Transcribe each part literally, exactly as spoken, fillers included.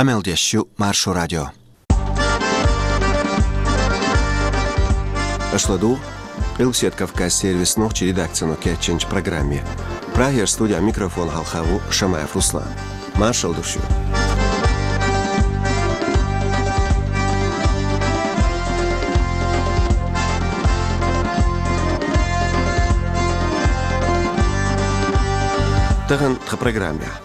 Къамел деш ю Маршо радио. Аша ладугӀу Къилбаседа Кавказан сервисан нохчийн редакцино кечйинчу программе. Прагера студин микрофона хьалха ву Шамаев Руслан. Маршалла ду шуьга. Тахана тхан программехь.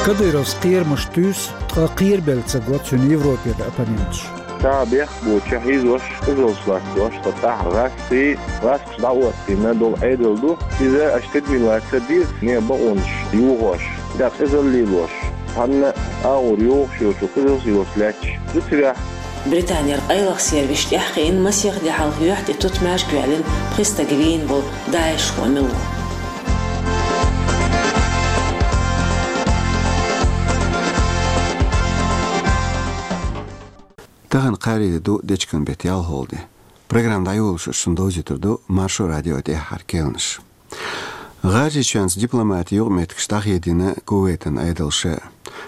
Кадыровс кхерамаш туьйсу, ткъа кхерабелла ца го цуьнан Европера оппоненташ. Цхьа бехк боцуш хьийзош, къизаллаш латтош, ткъа тӀаьхьа гӀазкхий, гӀазкхаша дӀаоттийна долу Ӏедал ду. Иза аша тидамилла ца деза, нехан бакъонаш йохош, дӀа къизалла лелош, цхьанна агӀор йогӀуш йоцу къизаллаш лаьтташ ду цигахь. Британера къайлаха сервисаш тӀаьхьакхиъна, масех де хьалха юьхь тӀе тутмаш гуьйлина пхи стаг вийна волу ДАИШ-хо мила ву. Тахана кхаарин де ду, дечкен беттан ялхолгӀа де. Программа дӀайолош шуна довзуьйтур ду Маршо радион тӀаьххьара кхаьънаш. ГӀажарийчоьнца дипломатин юкъаметтигаш дӀахедийна Кувейтан Ӏедалша.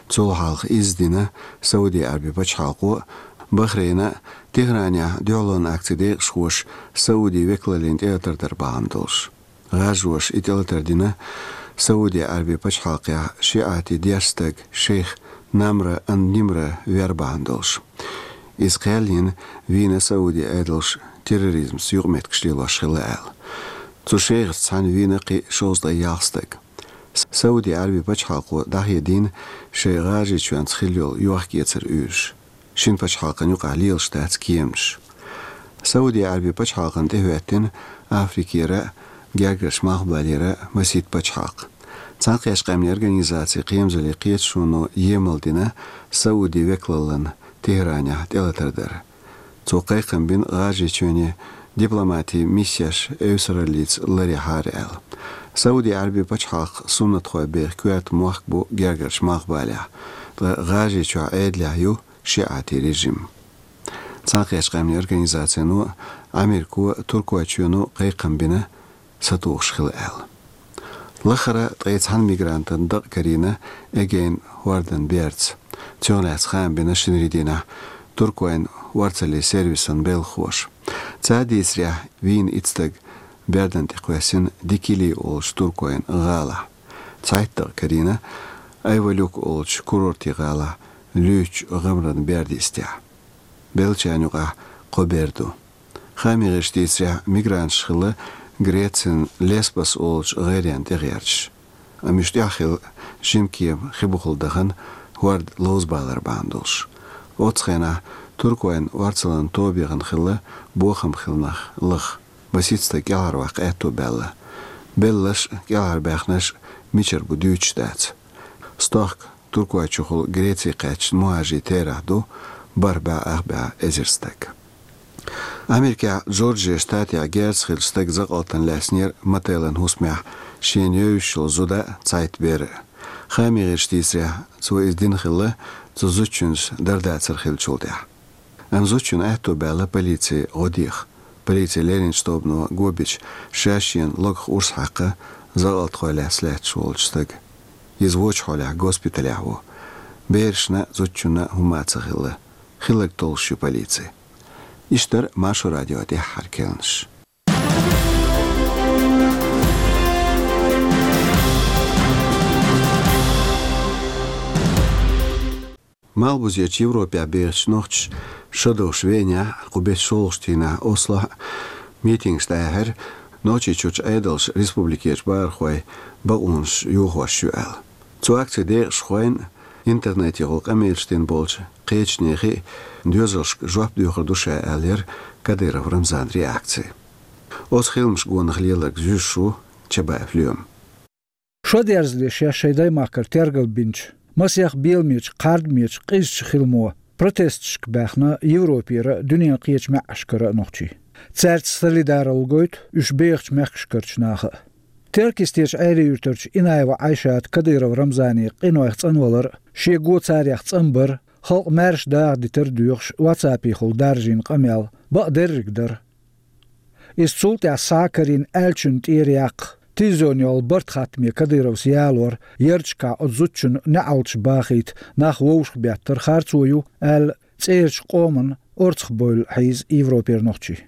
Цул хьалха изза дина Сауди Ӏаьрбийн пачхьалкхо, Бахрейна, Тегьранехь дуьхьалонан акцийн декъашхоша Саудин векалаллина тӀелатар дар бахьана долуш. ГӀажароша и тӀелатар дина Сауди Ӏаьрбийн пачхьалкхехь шиӀатийн дешна стаг, шейх Намра ан-Нимра вер бахьана долуш. Иза кхел йина вийна Саудин Ӏедалша терроризмца юкъаметтигаш лелош хилла аьлла. Цу шейхашца цхьаьна вийна кхин шовзткъе ялх стаг. Сауди Ӏаьрбийн пачхьалкхо дӀахедийна шайн ГӀажарийчоьнца хилла йолу йохк-эцар уьйраш. Шина пачхьалкхан юкъахь лелаш дац кеманаш. Сауди Ӏаьрбийн пачхьалкхана тӀехӀоьттина Африкера, Гергарчу Малхбалера масийтта пачхьалкх. Цхьаьнакхеттачу Къаьмнийн Организацин кхерамазаллин кхеташоно емал дина Саудин векалаллина Тегьранехь тӀелатар дар. Цо кхайкхам бина ГӀажарийчоьне дипломатин миссеш эвсараллица ларъярхьара аьлла. Сауди Ӏаьрбийн пачхьалкхан суннатхой беха коьрта мохк бу Гергарчу Малхбалехь, ткъа ГӀажарийчохь Ӏедалехь ю шиӀатийн режим. Цхьаьнакхеттачу Къаьмнийн Организацино, Америко, Туркойчоьно кхайкхам бина сатухуш хила аьлла. Лахара ткъе цхьана мигрантан дакъа карийна Эгейн хӀордан берца. Цунах лаьцна хаам бина шинарин дийнахь Туркойн орцаллин сервисан белхахоша. Цара дийцарехь, вийна итт стаг бердан тӀе кхоьссина Дикили олучу Туркойн гӀалахь. Цхьайтта дакъа карийна Айвалюк олучу курортийн гӀалахь луьйчу гӀамаран берда йистехь. Беллачарна юкъахь кхо бер ду. Хааман гӀирсаша дийцарехь, мигранташ хилла Грецин Леспос олучу гӀайренна тӀегӀерташ. Амма уьш тӀехь хилла жима кема хи бухахула дахана, хӀорда ловзабалар бахьана долуш. Оццу хенахь Туркойн орцаллин тоба яхана хилла бохам хилла нах лаха. Масийтта стаг кӀелхьарваккха аьтто баьлла. Белларш а, кӀелхьарбаьхнарш а мичара бу дуьйцуш дац. Стохка Туркойчухула Греце кхаьчна мухӀажирийн терахь ду бархӀ бӀе ах бӀе эзар стаг. Америкехь Джорджия штатехь герзаш хиллачу стага закъалтана лаьцнера мотелан хӀусамехь шена евзаш йолу зуда а, цхьайтта бер а. Хааман гӀирсаша дийцарехь, цо иза дина хилла цу зудчуьнца дар-дацар хиллачул тӀаьхьа. Амма зудчунна аьтто баьлла полице гӀо деха. Полицин леринчу тобано го бича, ша шена логах урс хьаькхна закъалтхой лаьцна лаьтташ волчу стага. Иза вочу хьолехь госпиталехь ву. Берашна а, зудчунна а хӀумма ца хилла. Хилларг толлуш ю полици. Иштта дара Маршо радион тӀаьххьара кхаьънаш. Малхбузерчу Европехь бехачу нохчаша шо довш Венехь, кху беттан шолгӀачу дийнахь Ослохь митингаш дӀаяьхьира, Нохчийчуьрчу Ӏедалша республикерчу бахархойн бакъонаш йохош ю аьлла. Цу акцин декъашхойн интернетехула къамелаш дина болчу кхечу нехан доьзалшка жоп доьхур ду ша аьлла яра Кадыров Рамзанан реакци. Оцу хиламаш гонах леларг зуьйш ву Чабаев Лоьма. Шо дерзале шаьш шайн даймахкара тергал бинчу, масех беламечу, кхардамечу, къизачу хиламо протесташка баьхна Европера а, дуьненан кхечу маьӀӀашкара а нохчий. Цаьрца солидаралла гойту уьш бехачу мехкашкарчу наха а. Теркйистерчу Ӏаьрий-Юьртарчу Инаева Ӏайшата Кадыров Рамзанан къинойх цӀанвалар а, шен го царех цӀанбар а, халкъ маьрша даха дитар а доьхуш, ватсапехула даржийна къамел бакъдерриг дара. Иза цул тӀаьхьа схьа а карийна аьллачун тӀера яккха, Телевизионехула барт хаттаме Кадыровс ялор, ярчка оцу зудчун неӀалташ бахийта нах вовшах беттар харцо ю, аьлла, цӀерачу къоман орцах бевлла хьийза Европера нохчий.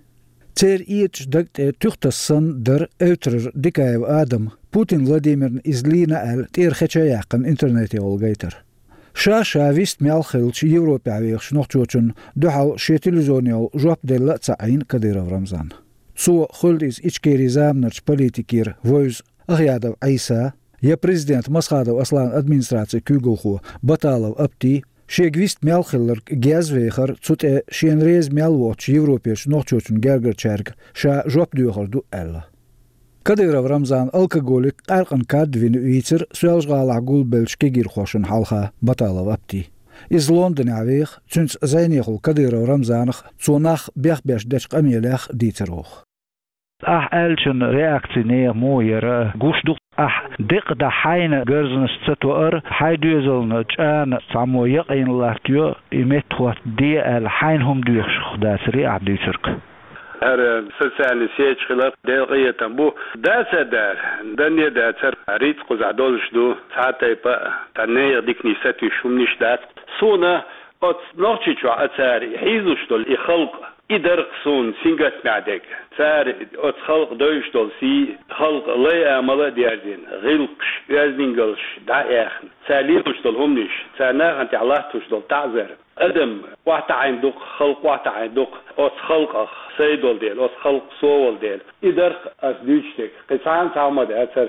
Церан этӀаш даг тӀе туьхтас санна дара эвтарара Дикаев Адама, Путин Владимирна иза лийна аьлла, тӀера хеча а яьккхина интернетехула гайтар. Ша-ша вист мел хилча Европехь вехаш нохчочунна дуьхьал шен телевизионехула жоп делла а ца Ӏийна Кадыров Рамзана. Цо хуьлда иза Ичкерин заманарчу политикера вевза Ахъядов Ӏийса, я президент Масхадов Аслан администрацин куьйгалхо Баталов Апти, шега вист мел хилларг гезвехар, цу тӀе шена реза мел воцучу Европерчу нохчочун гергарчаьрга ша жоп доьхур ду аьлла. Кадыров Рамзан алкоголик къаьркъан кад вина вийцира Соьлжа-ГӀалахь гулбеллачу кегийрхошна хьалха Баталов Апти. Иза Лондонехь веха, цуьнца зӀенехула Кадыров Рамзанах, цо нах бехбеш дечу къамелех дийцар воху. Ахь аьллачун реакци нехан муха яра гуш ду. Ахь декъа дан хьайна гарзанаш ца тоар, хьайн доьзална чӀана цхьаммо якъийна латтайо, и меттахӀотта де аьлла, хьайна хӀума доьхуш дацарий ахь дуьйцург? ХӀара социальный сеташ хилар Делан къинхетам бу. Дацар дара, данне дацар, рицкъа кхузахь долуш ду, цхьа а тайпа а, тхан нехан диканаш сатуьйсуш хӀуманаш дац. Суна оцу Нохчийчохь а цара хьийзалуш долу и халкъ, и дарх суна сингаттамехь дерг. Цара оцу халкъ девзаш долу сий, халкъан лай-амал а дерзийна, гӀиллакхаш, оьздангаллаш дӀа а яьхна, цара лелош долу хӀуманаш, цара нахана тӀехь латтош долу таӀзар. Адам охьатаӀийна ду-кх, халкъ охьатаӀийна ду-кх оцу халкъах, сайн долу дела, оцу халкъах, со волу дела. И дарх ас дуьйцуш дерг, кхин цхьана цхьа хӀума дацара.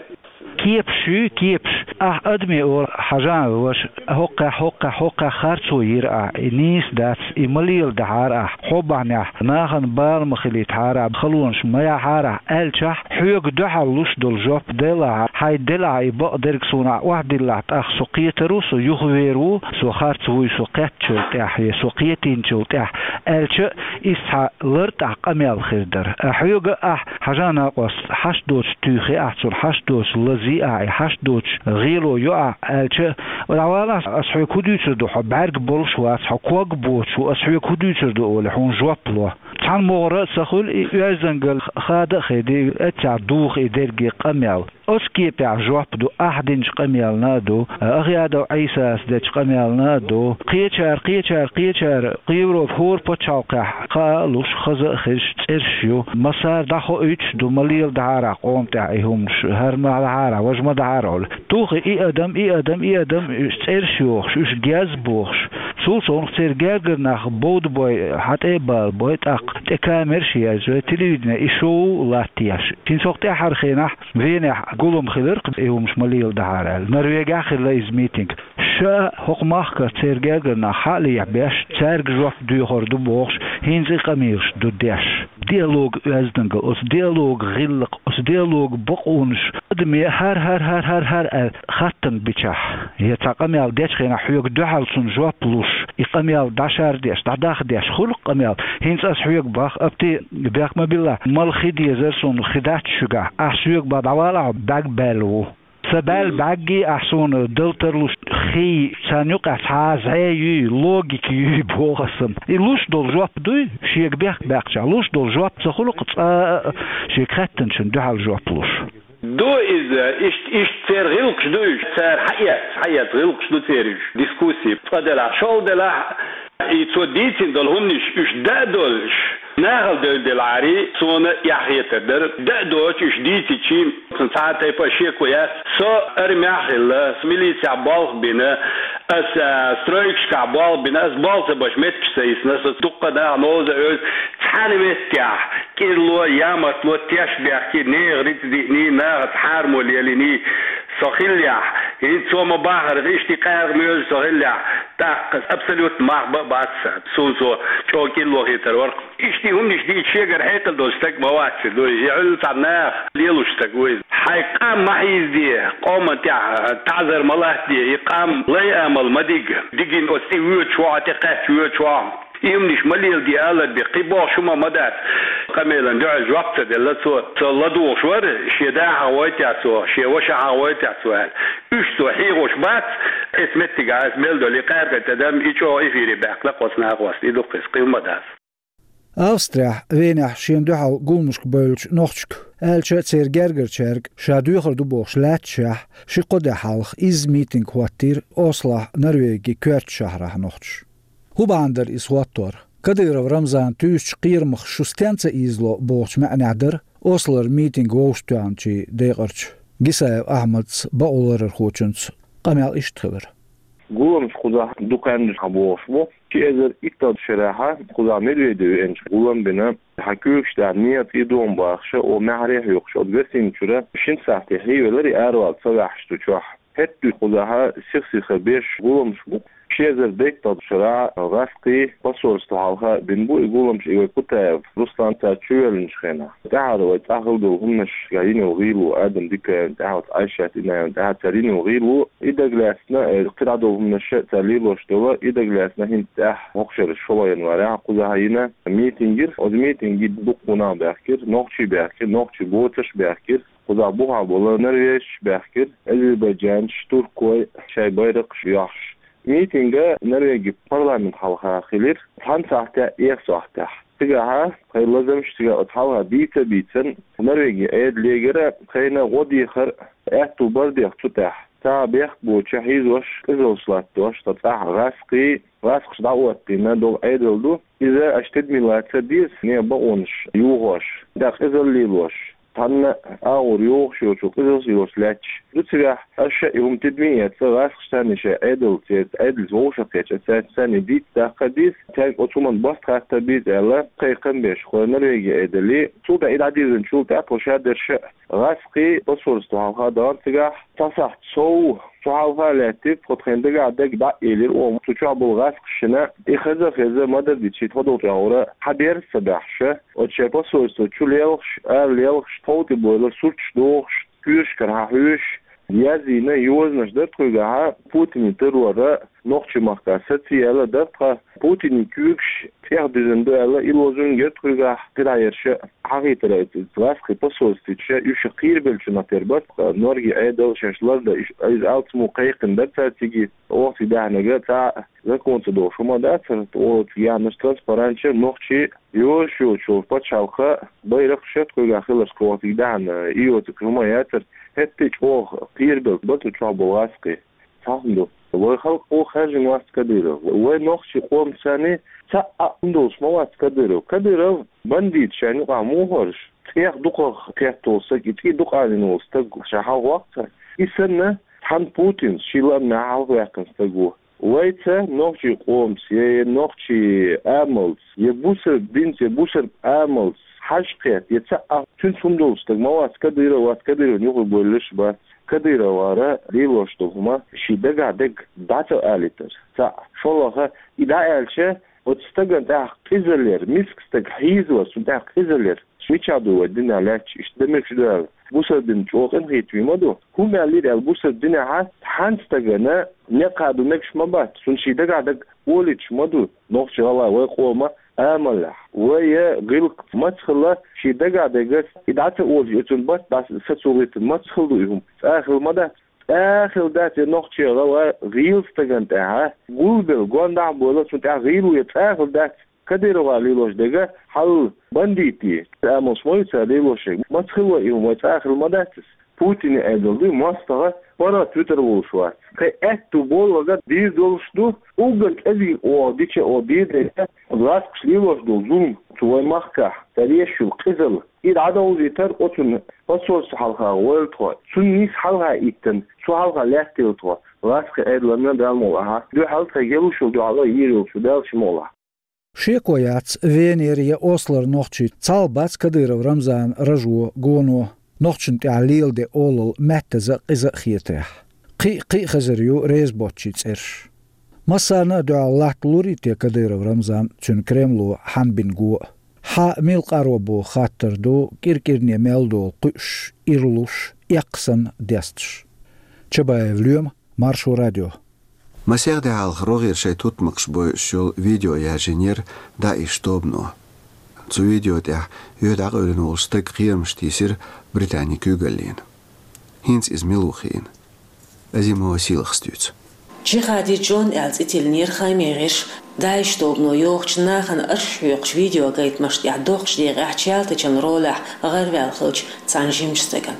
Кепаш ю, кепаш. Ахь адамийн ора хьажа а ваша, хӀокхехь, хӀокхехь, хӀокхехь харцо йира ахь, и нийса дац, и ма леладахьара ахь, хьо бахьанехь нахана бала ма хилийтахьара ахь, халонаш ма яхьара ахь аьллачохь, хьоьга дуьхьал луш долу жоп делахь, хьайн делахь и бакъдерг, суна ахь охьадиллахь, тӀаккха со кхетар ву, со юхавер ву, со харц вуй, со кхеттачул тӀаьхьа, я со кхетийначул тӀаьхьа аьлча, иза цхьа лартӀехь къамел хир дара. Хьоьга ахь хьажа, накъост, хьашт доцуш туьйхи ахь цунна, хьашт доцуш лазий ахь, и хьашт доцуш гӀело йо ахь аьлча, дӀавалахь, ас хьоьга хӀун дуьйцур ду, хьо бӀаьрг болуш вац, хьо ког боцуш ву, ас хьоьга хӀун дуьйцур ду олий, хьуна жоп ло. Цхьана могӀара а ца хуьлу и оьздангалла, хада а хеди, эццахь духа и дерриге къамел. Оцу кепехь жоп ду ахь динчу къамелна а ду, Ахъядов Ӏийсас дечу къамелна а ду. Кхечара, кхечара, кхечара, кху Европа хӀора пачхьалкхехь хаа а луш, хаза а хезаш цӀераш ю. Массара дӀахоуьйтуш ду, ма леладахьара ахь къоман тӀехь и хӀуманаш, хӀара ма дахьара ахь, важа ма дахьара ахь олий. Тухий и адам, и адам, и адам, уьш цӀераш йохуш, уьш геза бохуш. Цул совнаха церан гергара нах бовдабой, хьан тӀе а балабой, тӀаккха тӀе камераш а язбой, телевидене и шоу латтаеш. ХӀинца хӀокху тӀаьххьара хенахь Венехь гулам хилира-кх и хӀуманаш ма леладахьара аьлла. Норвегехь хилла иза митинг. Ша хӀокху махкара церан гергара нах хьа а лехьабеш, цаьрга жоп доьхур ду бохуш, хӀинца и къамелаш ду деш. Диалог оьздангалла, оцу диалога гӀиллакх, оцу диалога бакъонаш, адаме хӀара, хӀара, хӀара, хӀара, хӀара аьлла хаттам бичахь, я цхьа къамел дечу хенахь хьоьга дуьхьал цунна жоп луш, и къамел дӀашар деш, дӀадахьа деш хуьлу-кх къамел. ХӀинца ас хьоьга боху, Апти, бехк ма билла, мала хи дезара суна, хи дац шуьгахь. Ахь соьга боху, дӀавалахь, бӀаьрг баьлла ву. Сан баьлла бӀаьрггий ахь суна дала тарлуш хий, царна юкъахь цхьа а зӀе юй, логика юй боху ас-м. И луш долу жоп дуй, шега бехк баьккхича, луш долу жоп ца хуьлу-кх цкъа а шега хаьттинчунна дуьхьал жоп луш. Ду иза, иштта, иштта церан гӀиллакхаш ду уьш, цара хьаэц, хьаэц гӀиллакхаш ду церан уьш, дискуссий. Цкъа делахь, шолгӀа делахь, и цо дийцина долу хӀуманаш уьш даа долуш, нахала девлла делахьарий, суна эхь хетар дара, даа доцуш уьш дийцичийн, цхьа а тайпа а шеко яц. Со армехь а хилла, со милицехь болх бина, ас, а, стройкашкахь болх бина, ас болх ца беш меттигаш ца йисна, со дуккха а нах новза а оьзу, цхьана меттехь кӀирло, ямартло теш бехке, нехан рицкъ диъний, нахаца хьармо лелийний со хиллехь, хӀинца цо ма баххара, иштта и къаьркъа моьжа со хиллехь, тӀаккха абсолютно мах бан а бац сан, суна цо чӀогӀа кӀирло хетар вара-кх. Иштта и хӀуманаш дийца шегара хьекъал долу стаг ма вац иза, дуй, и хьуьлла цхьа наха лелош стаг ву иза. Хьайн къам ма хьийзаде, къоман тӀехь таӀзар ма латтаде, и къам лай-амал ма дига, дигина оцу тӀе воьдуш ву хьо, тӀе кхаьчча воьдуш ву хьо. И хӀуманаш ма леладе, алар бен, кхин бохуш хӀума ма дац. Къамелан дуьхьал жоп ца делла цо, со ладугӀуш вара, шен да хьахавойтехь цо, шен ваша хьахавойтехь цо аьлла. Уьш цо хьехош бац, эцу меттигехь ас мел долу и къаьркъа тӀе дан, и чӀогӀа эфире баьккхина-кх оцу нахоста, и ду-кх иза, кхин хӀума дац. Австрехь, Венехь шена дуьхьал гуламашка бевллачу нохчашка, аьлча а церан гергарчаьрга, ша доьхур ду бохуш лаьтташехь, ши-кхо де хьалха изза митинг хӀоттийра Ослохь, Норвегин коьртачу шахьарахь нохчаша. ХӀун бахьана дара иза хӀоттор? Кадыров Рамзана туьйсучу кхерамах шу стенна ца ийзало бохучу маьӀнехь дара Ослора митинг вовшахтоьхначийн декъарчу Гисаев Ахьмадца бакъоларъярхочуьнца къамел иштта хилира. Гуламаш кхузахь дукха хан дуьйна бохуш бу. Ши эзар итталгӀачу шарахь кхузахь Медведев веанчу гулам бина, хьан куьйгаш тӀехь нехан цӀий догӀу бахаша, о маьхьарий хьоькхуш, оцу гостиници чуьра шина сахьтехь хьийвелира и аравала ца ваьхьаш ду чохь. ХӀетта дуьйна кхузахь сих-сиха беш гуламаш бу. Ши эзар дейтталгӀачу шарахь гӀазкхий посольство хьалха бина бу и гуламаш, и вай Кутаев Руслан цара чувоьллинчу хенахь. ТӀаьхьара вай цӀахь хилла долу хӀуманаш, ша йина йолу гӀийла, Адам Дикаевна тӀаьхьа, оцу Айшат Инаевна тӀаьхьа цара йина йолу гӀийла, и дагалаьцна, э, кхидӀа долу хӀуманаш цара лелош долу, и дагалаьцна хӀинца тӀаьхьа хӀокху шеран шолгӀа январехь кхузахь йина митинг йира. Оцу митинге дуккха нах баьхкира, нохчий баьхкира, нохчий боцурш баьхкира. Кхузахь бухахь болу норвежцаш баьхкира, азербайджанцаш, туркой шайн байракхаш йохьуш. Митинг Норвегин парламент хьалха хилира, цхьана сахьтехь, эх сахьтехь. Цигахь тхайн лазамаш цигахь оцу хьалха дийца а бийцина, Норвегин Ӏедалегара тхайна гӀо дехар аьтту бара деза цу тӀехь. Цхьа бехк боцуш хьийзош, къизаллаш латтош, цхьа цӀахь гӀазкхий, гӀазкхаша дӀаоттийна долу Ӏедал ду. Иза аша тидаме лаца деза, нехан бакъонаш юхош, тӀаккха къизалла лелош. Цхьанна агӀор йогӀуш йоцу къизаллаш лелош лаьтташ ду цигахь, аша и хӀума тидаме а эцна, гӀазкхаша санна шайн Ӏедалца, Ӏедалца вовшахкхетча, цаьрца санна дийца даккха деза, цаьрга оцу хӀуманна баста хатта беза аьлла, кхайкхам беш, хӀокху Норвегин Ӏедале. Цул тӀаьхьа и дӀадирзинчул тӀаьхьа тхо шадерш а гӀазкхий посольство хьалха дахара цигахь, цхьа сахьт сов, цу хьалха а лаьттира, тхо тхайна дагахь дерг дӀа а элира, оха цу чохь болу гӀазкхашна и хаза а хезна, ма-дарра дитча, тхо долчохь гӀура хьан берза ца баьхьаш, оцу шайн посольство чу лелхаш, ара лелхаш, тхов тӀе бойла сурташ дохуш, коьрташкара хьан хьоьжуш, язйина йозанаш дара тхоьгахь, Путинан террора нохчийн махкахь сацаяьлла дара тхан, Путинан куьйгаш цӀех дуьзна ду аьлла, и лозунг яра тхоьгахь, кхидӀа ерш а хьахийтира, гӀазкхийн посольстве чу уьш кхерабеллачу нах тера бара, Норвегин Ӏедал шаьш лардан, иза алцамо кхайкхина дара цара цига. Оха цига даьхнарг цхьа а закон ца долуш хӀума дацара, оха цига яьхнарш транспаранташ яра, нохчийн йозуш йолчу пачхьалкхан байракхаш яра тхоьгахь хиларш, оха цига даьхна, и йоцург хӀума яцара, хӀетте а чӀогӀа кхерабелла бара цу чохь болу гӀазкхий. Цхьа хӀума ду. Вай халкъо хаьржина вац Кадыров. Вай нохчийн къомаца цхьа а хӀума долуш ма вац Кадыров. Кадыров бандит, шайна юкъахь мухӀарш, цӀех дукхах кхетта волу стаг, и цӀий дукхаъ йина волу стаг ша хьалхавоккху цара. И санна, цхьана Путинца шен лаамехь хьалхаваьккхина стаг ву. Вайца, нохчийн къомаца, я, я нохчийн амалца, я бусалба динца, я бусалба амалца хьажа кхетта, я цхьа а цуьнца хӀума долуш стаг ма вац Кадыров, вац Кадыровна юхабевлларш а бац. Кадыровгара лелош долу хӀума шен дагахь дерг дӀа ца алийтар. Цхьаъ, шолгӀа, и дӀааьлча, оцу стагана тӀехь къизалла яр, миска стаг хьийзавар, цунна тӀехь къизалла яр. Мичахь ду вай динехь лаьтташ иштта дан мегаш ду аьлла, бусалба дин чӀогӀа къинхетаме ма ду. ХӀума аьллера аьлла, бусалба динехь цхьана стагана некъ хадо мегаш ма бац, цунна шен дагахь дерг олуьйтуш ма ду нохчийн, гӀалгӀайн, вай къоман амалехь. Вай гӀиллакх маца хилла, шен дагахь дерг и дӀа ца олуш, и цунна барт дӀа сацо гӀиртина маца хилла ду и хӀума? ЦӀа а хилла ма дац. ЦӀа а хилла дац, я нохчи, я гӀалгӀай, гӀийла стагана тӀехь гулбелла, гондахьа а бевлла, цунна тӀехь гӀийла ву, я цӀа а хилла дац. Кадыровгара лелош дерг хьал бандитийн амалш ма ю цара лелош дерг. Маца хилла вай и хӀума, вай цӀа а хилла ма дац иза. Путинан Ӏедал ду, мостагӀа паргӀат витар волуш вац. Кхин аьтту боллагӀа дийр долуш ду, уггар кӀезиг оха дича, оха дийр дайта, гӀазкхаша лелош долу зулам цу вайн махкахь, цара еш йолу къизалла. И дӀадовзийтар оцунна посольство хьалха гӀойла тхо. Цунна нийса хьалха иттина, цу хьалха лаьттийла тхо гӀазкхийн Ӏедална, Далла мукъалахь, дуьхьал, тхайга луш йолу дуьхьал а йийр йолчу Дала ши мукъалахь. Шеко яц, Венера я Ослора нохчий цхьалла бац Кадыров Рамзанан ражо, гоно, нохчашна тӀехь леладен олалла маьттаза а, къиза а хетарехь. Кхин а, кхин а хезар ю реза боцчийн цӀераш. Массарна а дуьхьал латталур ю те Кадыров Рамзан, цуьнан Кремло хьанбина го а? Хьан мила къаро боху хаттар ду кӀир-кӀирне мел долу кхуьуш, ирлуш, эккха санна десташ. Чабаев Лоьма, Маршо радио. Масех де хьалха рогӀера шайн тутмакхаш бойъуш йолу видео яьржинера ДАИШ тобано. Цу видео тӀехь юьхь дӀакъевлина волу стаг кхерамаш тийсира Британин куьйгаллина. ХӀинца иза мила ву хиъна, Азимова Сийлахас дуьйцу. Джихади Джон аьлла цӀе тиллинера Хаймереш. ДАИШ тобано йохачу нахана арш хьоькхучу видеогайтамашна тӀехь доккхачу декъехь Чалтачан ролехь гӀараваьлла хиллачу цхьана жимачу стагана.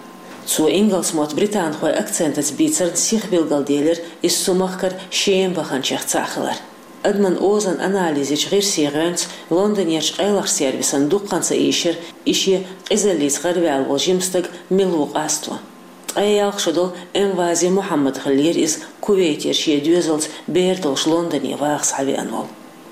Цо ингалс мотт британхойн акцентаца бийцарна сиха билгалделира иза цу махкара Шема баханчех цхьаъ хилар. Адаман озан анализачу гӀирсийн гӀоьнца Лондонерчу къайлахчу сервисан дуккха а ца ийшира и шен къизаллица гӀараваьлла волу жима стаг мила ву къасто. Ткъе ялх шо долу Эмвази Мухьаммад хиллера иза, Кувейтера шен доьзалца бер долуш Лондоне ваха схьавеана волу.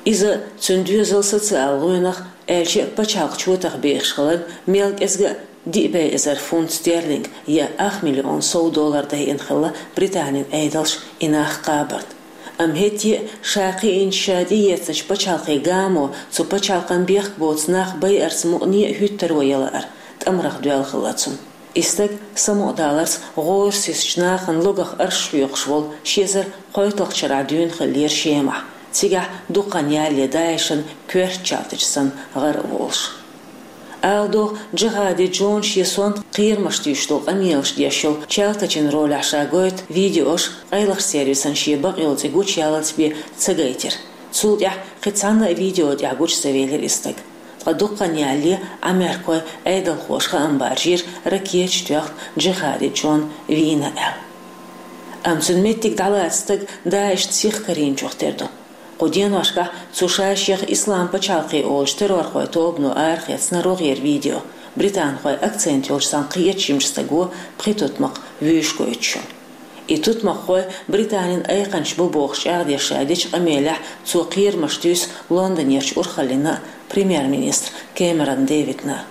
Иза, цуьнан доьзал социал гӀоьнах, аьлча а пачхьалкхан чотах бехаш хиларна, мел кӀезга а диъ бӀе эзар фунт стерлинг я ах миллион сов доллар дайина хилла Британин Ӏедалша и нах кхабарна. Амма хӀетте а ша кхиъначу, ша тӀеэцначу пачхьалкхийн гамо цу пачхьалкхан бехк боцу нах байарца мукъане а хӀуьттаро ян лаар тӀамарх доьлла хилла цунна. И стаг самукъадаларца гӀора сецначу нахана логах арш хьоькхуш волу ши эзар кхойтталгӀачу шарахь дуьйна хиллера Шемахь, цигахь дукха хан ялале ДАИШан коьрта чалтача санна гӀара а волуш. Ала догӀу, Джихади Джон шен сонта кхерамаш туьйсуш долу къамелаш деш йолу Чалтачин ролехь ша гойту видеош къайлахчу сервисан шен бакъйолу цӀе гучуяллалц бен ца гайтира. Цул тӀаьхьа кхин цхьанна а видео тӀехь гучу ца велира и стаг. Ткъа дукха хан ялале Ӏамеркойн Ӏедалхоша хаам баржийра ракеташ тоьхна Джихади Джон вийна аьлла. Амма цуьнан меттиг дӀалаца стаг ДАИШна сиха карийначух тера ду. Кху деношкахь цу ша-шех Ислам пачхьалкх олучу террорхойн тобано арахецна рогӀера видео, британхойн акцент йолчу цхьана кхечу жимачу стага пхи тутмакх вуьйш гойтуш йолу. И тутмакххой Британин айкханчаш бу бохуш чӀагӀдеш ша дечу къамелехь цо кхерамаш туьйсу Лондонерчу урхаллина а, премьер-министр Кэмерон Дэвидна а.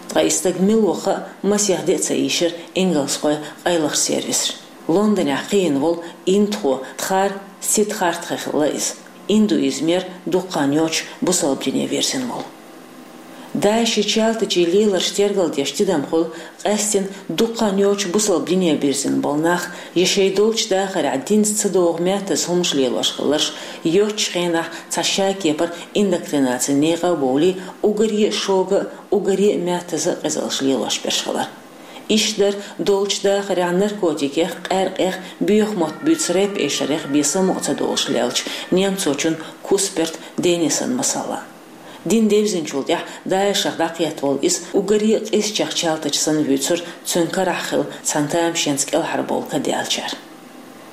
Ткъа и стаг мила ву хаа масех де а ца ийшира ингалсхойн къайлахчу сервисаша. Лондонехь кхиъна волу индухо Дхар Сидхартхе хилла иза. Индуизмера дукха хан йоцуш бусалба дине вирзина волу. ДАИШан чалтачийн леларш тергалдеш тидам хуьлу, къаьстина дукха хан йоцуш бусалба дине бирзина болу нах я шайн долчу дахарехь динца ца догӀу меттаза хӀуманаш лелош хилларш, йоцчу хенахь цхьа шакепара индоктринацин некъа а бовлий, уггаре а шога а, уггаре а меттаза а къизаллаш лелош берш хилар. Иштта дара долчу дахарехь наркотикех, къаьркъех, боьха мотт буьйцу рэп-эшарех бен самукъа ца долуш леллачу немцочун Кусперт Денисан масала. Дин девзинчул тӀаьхьа ДАИШах дӀакхетта волу иза уггаре а къизачех чалтача санна вуьйцура цуьнан карахь хилла цхьана тамашенца кӀелхьарбовла ка даьллачара.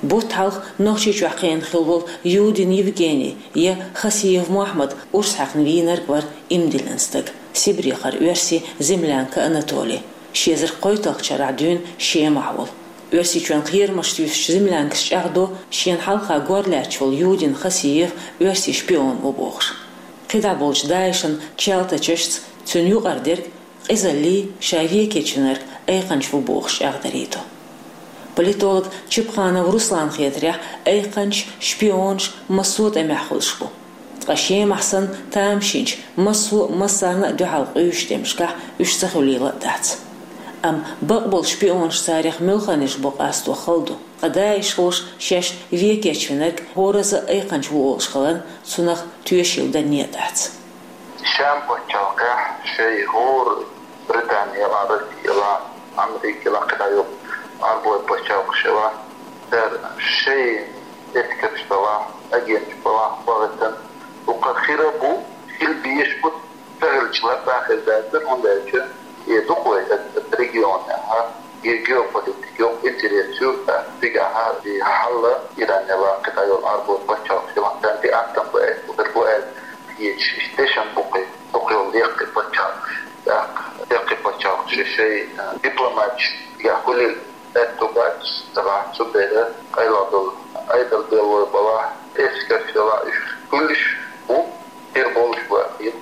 Бутт хьалха Нохчийчохь кхиъна хилла волу Юдин Евгений я Хасиев Мохьмад урс хьаькхна вийнарг вара иман диллина стаг, Сибрехара оьрси землянка Анатолий, ши эзар кхойтталгӀачу шарахь дуьйна Шемахь волу. Оьрсийчоьнан кхерамаш туьйсучу землянкаша чӀагӀдо, шена хьалха гор лаьтташ волу Юдин Хасиев оьрсийн шпион ву бохуш. КхидӀа болчу ДАИШан чалтачашца цуьнан юкъара дерг къизаллий, ша вен кечвинарг айкханча ву бохуш чӀагӀдарий ду. Политолог Чепханов Русланан хетарехь, айкханчаш, шпионаш массо а тӀамехь хуьлуш бу. Ткъа Шемахь санна тамашийначу массо а массарна а дуьхьал къуьйсучу тӀемашкахь уьш ца хуьлийла а дац. Амма бакъболу шпионаш, царех муьлханаш бу къасто хала ду. Ткъа ДАИШхоша шаьш вен кечвинарг хӀоразза а айкханча ву олуш хиларна, цунах тоьшалла данне а дац. Шема пачхьалкхехь шайн хӀора Британи йолу, Росси йолу, Америка йолу, кхидӀа йолу Ӏарбойн пачхьалкхаш йолу, цара шайн эскарш йолу, агенташ йолу, бахийтина, укхаза хир а бу, хила безаш бу, ца хилча латта а хир дац, хӀунда аьлча и дукха вай оцу регионехь, и геополитика йолу интерес ю, цигахь и хьалла Иран йолу, кхидӀа йолу Ӏарбойн пачхьалкхаш йолу, царна тӀе аттам бу аьлла, бу аьлла. Кхечу дешан бу кхин, дукха йолу лекхи пачхьалкхаш, тӀаккха лекхи пачхьалкхаш шайн, а, дипломаташ цигахь хуьлийла аьтту бац, ца бац, цу дела къайлаха долу Ӏедал беллой балахь, эскарш йолу, уьш хуьлуш бу, хир болуш бу аьлла.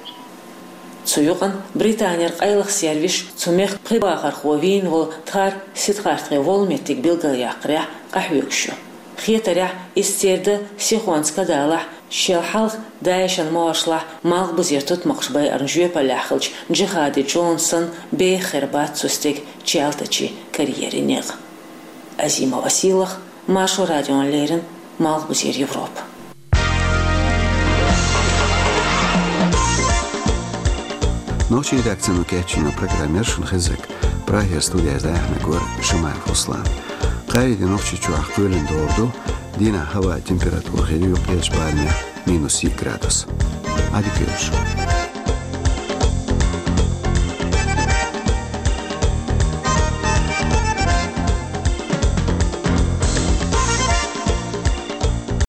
Цу юкъана Британера къайлаха сервисаш цу мехкан пхи бахархо вийна волу Дхар Сидхартхе волу меттиг билгалъяккхарехь къахьоьгуш ю. Хетарехь, иза церан дан сихонца ка далахь, шел хьалха ДАИШан могӀаршлахь Малхбузера тутмакхаш байарна жоьпаллехь хиллачу Джихади Джонсан беха хир бац цу стеган чалтачийн карьерин некъ. Азимова Сийлаха, Маршо радиона леррина, Малхбузера Европа. Нохчийн редакцино кечйина программа яра шуна хезнарг. Прагера студехь дӀаяьхьнарг вара Шамаев Руслан. Кхаарин де Нохчийчохь кхоьлина догӀур ду, дийнахь хӀаваан температура хир ю юккъерчу барамехь minus yedi gradus. Hadi görüşürüz.